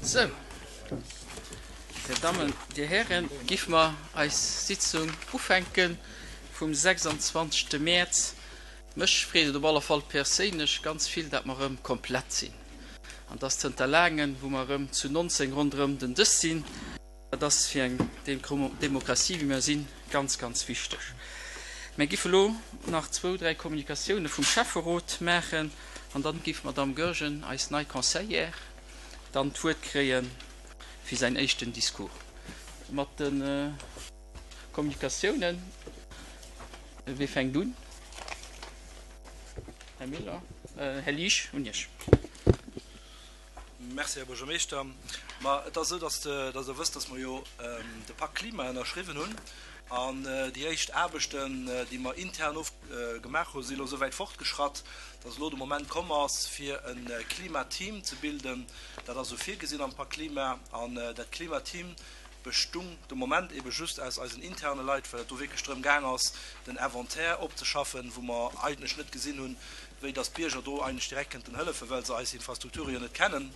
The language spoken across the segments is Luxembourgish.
Sou, Dir Dammen, Dir Hären, giff mer eis Sitzung ufänke vum 26. Mäerz. Mech freet et op alle Fall perséinlech ganz vill, dat mer erëm komplett sinn. An dass zënter laangen, wou mer erëm zu 19 ronderëm den Dësch sinn. Dat ass fir eng Demokratie, wéi mer sinn, ganz, ganz wichteg. Mir giff elo nach zwou, dräi Kommunikatioune vum Schäfferot maachen an dann giff d'Madame Goergen, eis nei Conseillère, dann d'Wuert kréie fir säin éischten Discours. Mat de Kommunikatiounen, wie fänkt un? Här Miller, Här Liesch, un Iech. Merci, Här Buergermeeschter. Ma et ass esou, dass Der wësst, dass mer jo de Pakt Klima ënnerschriwwen hunn. An déi éischt Aarbechten, déi mer intern gemaach hunn, si elo esou wäit fortgeschratt, dass elo de Moment komm ass, fir e Klimateam ze bilden. Dat ass esou virgesinn am Pakt Klima. An dat Klimateam bestung de Moment ebe just aus eisen interne Leit, well et do wierklech drëm gaang ass, den Inventaire opzeschaffen, wou mer eigentlech net gesinn hunn, wéi dass d'Bierger do eigentlech direkt kënnten hëllefen, well se eis Infrastrukture jo net kennen.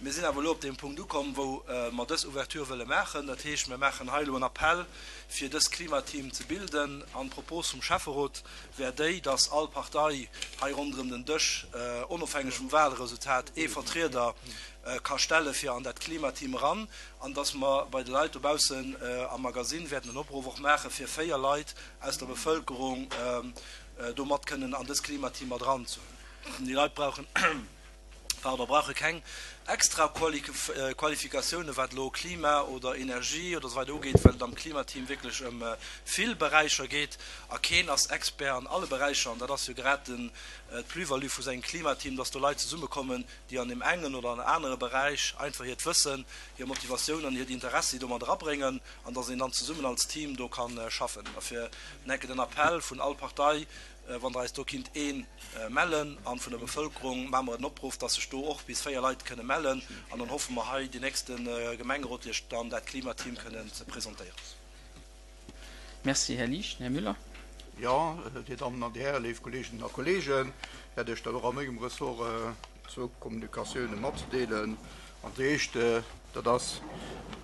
Mir sinn awer elo op deem Punkt ukomm, wou mer dës Ouverture wëlle maachen. Dat heescht, mir maachen hei elo en Appell, fir dës Klimateam ze bilden. An d'Propos vum Schäfferot wär déi, dass all Partei hei ronderëm den Dësch, onofhängeg vum Wahlresultat, ee Vertrieder ka stelle fir an dat Klimateam eran, an dass mer bei de Leit dobaussen am Magasinn wäerten en Opruff och maache fir 4 Leit aus der Bevëlkerung, do mat kënnen an dës Klimateam mat eranzehunn. Déi Leit brauchen, pardon, brauche keng extra Qualifikatiounen, wat elo Klima oder Energie oder esou weider ugeet, well et am Klimateam wierklech ëm vill Beräicher geet a keen ass Expert an alle Beräicher. An dat ass jo grad den, d'Plus-value vu sengem Klimateam, dass do Leit zesummekommen, déi an deem engen oder an anere Beräich einfach hiert Wëssen, hir Motivatioun an hiert Interessi do mat erabréngen an dass een dann zesummen als Team do ka schaffen. Dofir enke den Appell vun all Partei, wann der eis do kinnt ee mellen, an vun der Bevëlkerung maache mer en Opruff, dass sech do och bis 4 Leit kënne mellen, an dann hoffe mer hei den nächste Gemengerot Iech dann dat Klimateam kënnen ze presentéieren. Merci, Här Liesch. Här Müller. Jo, Dir Dammen an Dir Hären, léif Kolleeginnen a Kolleegen, hätt ech dann och a mengem Ressort zwou Kommunikatiounen matzedeelen. An déi éischt, dat ass,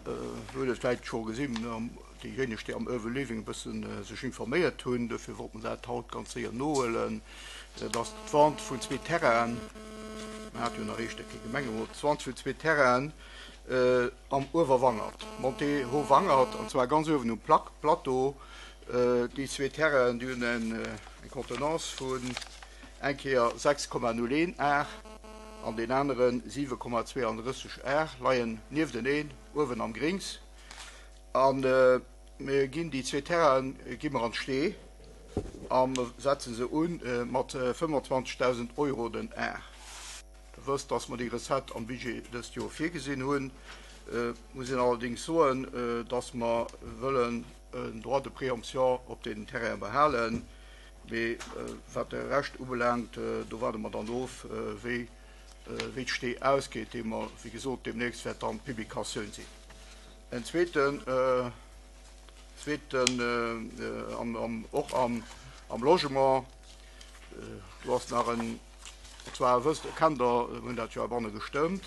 Dir hutt et vläicht scho gesinn, déijéineg, déi am Urban Living e bësse sech informéiert hunn, dofir wollt mer dat haut ganz séier nohuelen, dat ass d'Vente vun zwee Terrainen, mer hate jo nach eeschter kee Gemengerot, d'Vente vun zwee Terrainen am Uewerwangert, Montée Haut-Wangert, an zwar ganz uewen um Plateau. Déi zwee Terrainen, déi hunn eng Contenance vun eng Kéier 6,01 Ar an deen anere 7,32 Ar, leien niefteneen uewen am Grings. A mir ginn déi zwee Terrainen gi mer an d'Stee a setze se u mat 25.000 Euro den Ar. Der wësst, dass mer déi Recette am Budget dëst Joer virgesinn hunn. Et muss een allerdéngs soen, dass mer wëllen en Droit de préemption op deenen Terrainen behalen. Mee wat de Rescht ubelaangt, do waarde mer dann of, wéi d'Stee ausgeet, déi mer, wéi gesot, deemnächst wäert dann d'Publikatioun sinn. En zweeten, zweeten och am Logement, do ass nach en, an zwar wësst, kennt Der, mir hunn dat jo heibanne gestëmmt,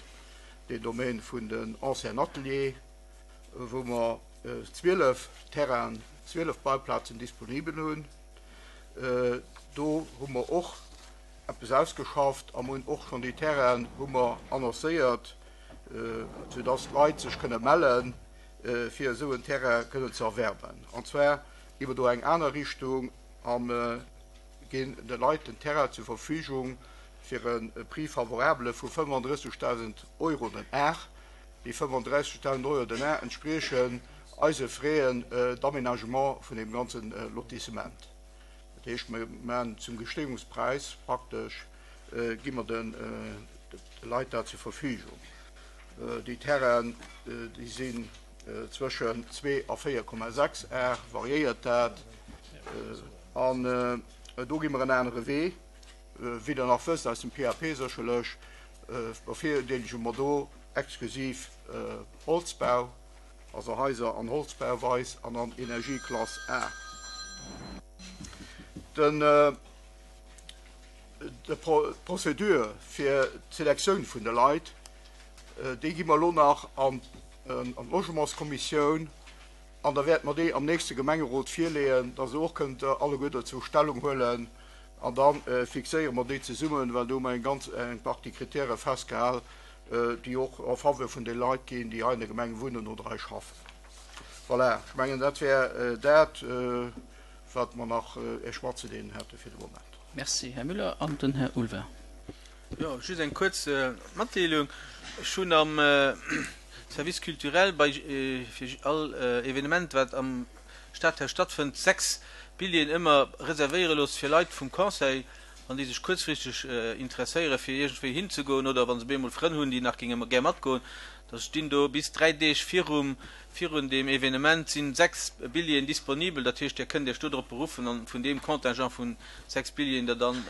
deen Domaine vun den anciens Ateliers, wou mer 12 Terrainen, 12 Bauplazen disponibel hunn. Do hu mer och eppes ausgeschafft a mer hunn och schonn déi Terrainen hu mer annoncéiert, soudass d'Leit sech kënne mellen, fir esou en Terrain kënnen ze erwerben. An zwar gi mer do eng aner Richtung a ginn de Leit den Terrain zur Verfügung fir e Prix favorable vu 35.000 Euro den Ar. Déi 35.000 Euro den Ar entspriechen eise Frais d'aménagement vun deem ganze Lotissement. Dat heescht, mir maachen zum Gesteeungspräis praktesch, gi mer de Leit dat zur Verfügung. Déi Terrainen, déi sinn zwëschen 2 a 4,6 Ar, variéiert dat. An do gi mer en anere Wee, wéi Der nach wësst aus dem PAP sécherlech, bevirdeelege mer do exklusiv Holzbau, also Haiser an Holzbauweis an an Energieklass A. Den. D'Procédure fir d'Selektioun vun de Leit. Déi gi mer elo nach an d'Logementskommissioun an da wäerte mer déi am nächste Gemengerot virleeën, dass Der och kënnt alleguer dozou Stellung huelen. An da fixéiere mer déi zesummen, well do hu mer eng ganz eng Partie Kritäre festgehal, déi och en faveur vun de Leit ginn, déi hei an der Gemeng wunnen oder hei schaffen. Voilà, ech mengen, dat wär dat, wat mer nach Iech matzedeelen hätte fir de Moment. Merci, Här Müller. An den Här Ulvein. Jo, just eng kuerz Matdeelung. Ech hunn am Service culturel bei fir all Evenement, wat am Stadhaus stattfënnt, 6 Billjeeën ëmmer reservéiere looss fir Leit vum Conseil, wann déi sech kuerzfristeg interesséiere fir iergendwéi hinzegoen oder wa se bemol Frënn hunn, déi nach géinge gär matgoen. Da stinn do bis 3 Deeg virum virun deem Evenement sinn 6 Billjeeën disponibel. Dat heescht, Dir kënnt Iech do drop beruffen an vun deem Contingent vun 6 Billjeeën der dann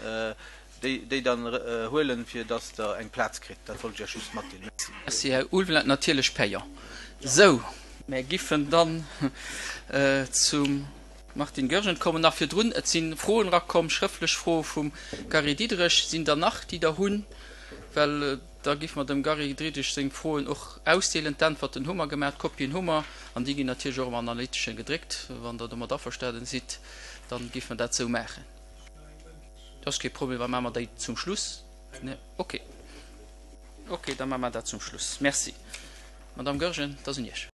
déi déi dann huelen, fir dass Der eng Plaz kritt. Dat wollt ech Iech just matdeelen. Merci. Merci, Här Ulveling. Natierlech payant. Sou, mär giffen dann zum Martine Goergen kommen. Nach virdrun, et si Froen erakomm, schrëftlech Froe vum Gary Diderich. Sinn der nach, déi Der hunn? Well da giffe mer dem Gary Diderich seng Froen och ausdeelen. D'Äntwerten hu mer gemaach, d'Kopien hu mer an déi ginn natierlech och am Analyteschen gedréckt. Wann Der domat averstanen sidd, da giffe mer dat esou maachen. Dat ass kee Problem, da maache mer déi zum Schluss. Okay. Okay, da maache mer dat zum Schluss. Merci. Madamm Goergen, et ass un Iech.